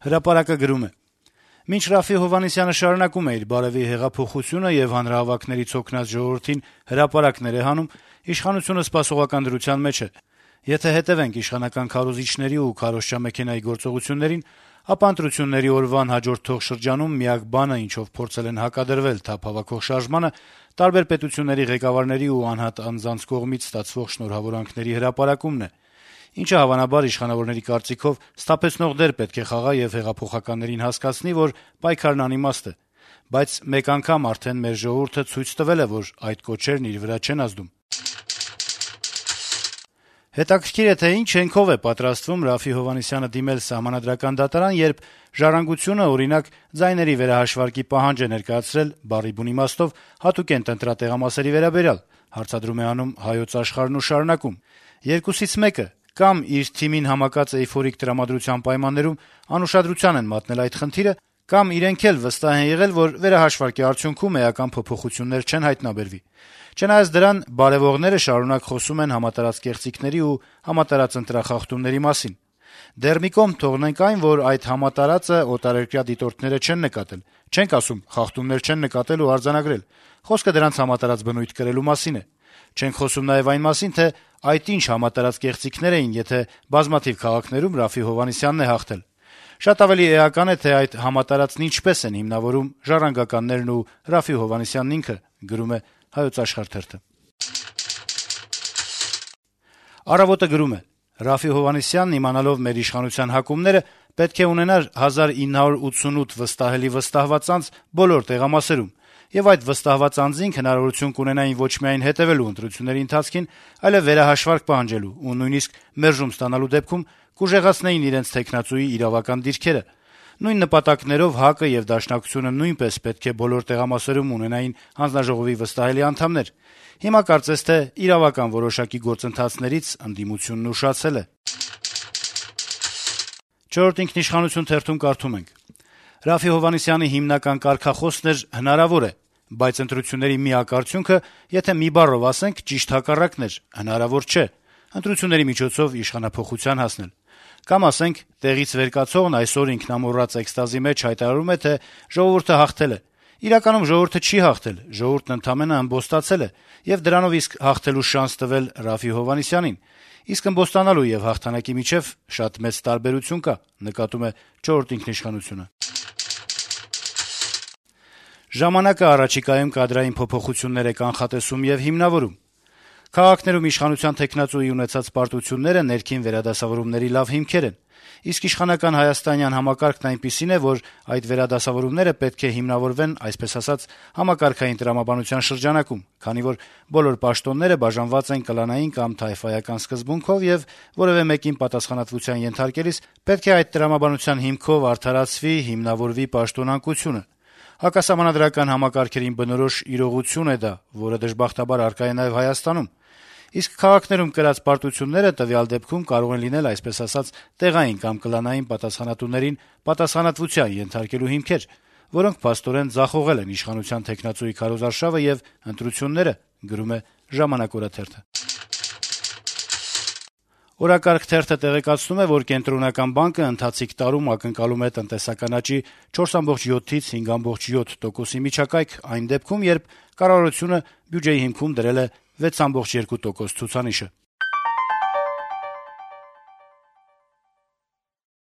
Հրապարակը գրում է. - «Մինչ Րաֆֆի Հովհաննիսյանը շարունակում է իր բարեւի հեղափոխությունը եւ հանրահավաքներից օգնած ժողովրդին հրապարակներ է հանում, իշխանությունը սպասողական դրության մեջ է: Եթե հետեւենք իշխանական քարոզիչների ու քարոզչամեքենայի գործողություններին, ապա ընտրությունների օրվան հաջորդ թողշրջանում միակ բանը, ինչով փորձել են հակադրվել թափ հավաքող շարժմանը, տարբեր պետությունների ղեկավարների ու անհատ անձանց կողմից ստացվող շնորհավորանքների հրապարակումն է, ինչը հավանաբար իշխանավորների կարծիքով սթափեցնող դեր պետք է խաղա եւ հեղափոխականներին հասկացնի, որ պայքարն անիմաստ է: Բայց մեկ անգամ արդեն մեր ժողովուրդը ցույց տվել է, որ այդ կոչերն իր վրա չեն ազդում»: Հետաքրքիր է, թե ինչ հենքով է պատրաստվում Րաֆֆի Հովհաննիսյանը դիմել Սահմանադրական դատարան, երբ «Ժառանգությունը», օրինակ, ձայների վերահաշվարկի պահանջ է ներկայացրել բառի բուն իմաստով հատուկենտ ընտրատեղամասերի վերաբերյալ, հարցադրում է անում «Հայոց Աշխարհ»-ն ու շարունակում. - «Երկուսից մեկը, կամ իր թիմին համակած էյֆորիկ տրամադրության պայմաններում անուշադրության են մատնել այդ խնդիրը, կամ իրենք էլ վստահ են եղել, որ վերահաշվարկի արդյունքում էական փոփոխություններ չեն հայտնաբերվի: Չնայած դրան, բարեւողները շարունակ խոսում են համատարած կեղծիքների ու համատարած ընտրախախտումների մասին: Դեռ մի կողմ թողնենք այն, որ այդ համատարածը օտարերկրյա դիտորդները չեն նկատել, չենք ասում խախտումներ չեն նկատել ու արձանագրել: Խոսքը դրանց համատարած բնույթ կրելու մասին է: Չենք խոսում նաեւ այն մասին, թե այդ ինչ համատարած կեղծիքներ էին, եթե բազմաթիվ քաղաքներում Րաֆֆի Հովհաննիսյանն է հաղթել: Շատ ավելի էական է, թե այդ համատարածն ինչպես են հիմնավորում ժառանգականներն ու Րաֆֆի Հովհաննիսյանն ինքը»: «Առավոտ»-ը գրում է. - «Րաֆֆի Հովհաննիսյանն, իմանալով մեր իշխանության հակումները, պետք է ունենար 1988 վստահելի վստահված անձ բոլոր տեղամասերում, եւ այդ վստահված անձինք հնարավորություն կունենային ոչ միայն հետեւելու ընտրությունների ընթացքին, այլեւ վերահաշվարկ պահանջելու ու նույնիսկ մերժում ստանալու դեպքում կուժեղացնեին իրենց թեկնածուի իրավական դիրքերը: Նույն նպատակներով ՀԱԿ-ը եւ Դաշնակցությունը նույնպես պետք է բոլոր տեղամասերում ունենային հանձնաժողովի վստահելի անդամներ: Հիմա կարծես թե իրավական որոշակի գործընթացներից ընդդիմությունն ուշացել է»: «Չորրորդ ինքնիշխանություն» թերթում կարդում ենք. - «Րաֆֆի Հովհաննիսյանի հիմնական կարգախոսն էր «հնարավոր է», բայց ընտրությունների միակ արդյունքը, եթե մի բառով ասենք, ճիշտ հակառակն էր՝ հնարավոր չէ՝ ընտրությունների միջոցով իշխանափոխության հասնել: Կամ ասենք՝ տեղից վեր կացողն այսօր ինքնամոռաց էքստազի մեջ հայտարարում է, թե ժողովուրդը հաղթել է: Իրականում ժողովուրդը չի հաղթել, ժողովուրդն ընդամենը ըմբոստացել է եւ դրանով իսկ հաղթելու շանս տվել Րաֆֆի Հովհաննիսյանին: Իսկ ըմբոստանալու եւ հաղթանակի միջեւ շատ մեծ տարբերություն կա»: «Ժամանակ»-ը առաջիկայում կադրային փոփոխություններ է կանխատեսում եւ հիմնավորում. - «Քաղաքներում իշխանության թեկնածուի ունեցած պարտությունները ներքին վերադասավորումների լավ հիմքեր են: Իսկ իշխանական հայաստանյան համակարգն այնպիսին է, որ այդ վերադասավորումները պետք է հիմնավորվեն, այսպես ասած, համակարգային տրամաբանության շրջանակում, քանի որ բոլոր պաշտոնները բաժանված են կլանային կամ թայֆայական սկզբունքով, եւ որեւէ մեկին պատասխանատվության ենթարկելիս պետք է այդ տրամաբանության հիմքով արդարացվի, հիմնավորվի պաշտոնանկությունը: Հակասահմանադրական համակարգերին բնորոշ իրողություն է դա, որը դժբախտաբար առկա է նաեւ Հայաստանում: Իսկ քաղաքներում կրած պարտությունները տվյալ դեպքում կարող են լինել, այսպես ասած, տեղային կամ կլանային պատասխանատուներին պատասխանատվության ենթարկելու հիմքեր, որոնք փաստորեն ձախողել են իշխանության թեկնածուի քարոզարշավը եւ ընտրությունները»: «Օրակարգ» թերթը տեղեկացնում է, որ Կենտրոնական բանկը ընթացիկ տարում ակնկալում է տնտեսական աճի 4.7-ից 5.7% միջակայք այն դեպքում, երբ կառավարությունը բյուջեի հիմքում դրել է 6.2% ցուցանիշը: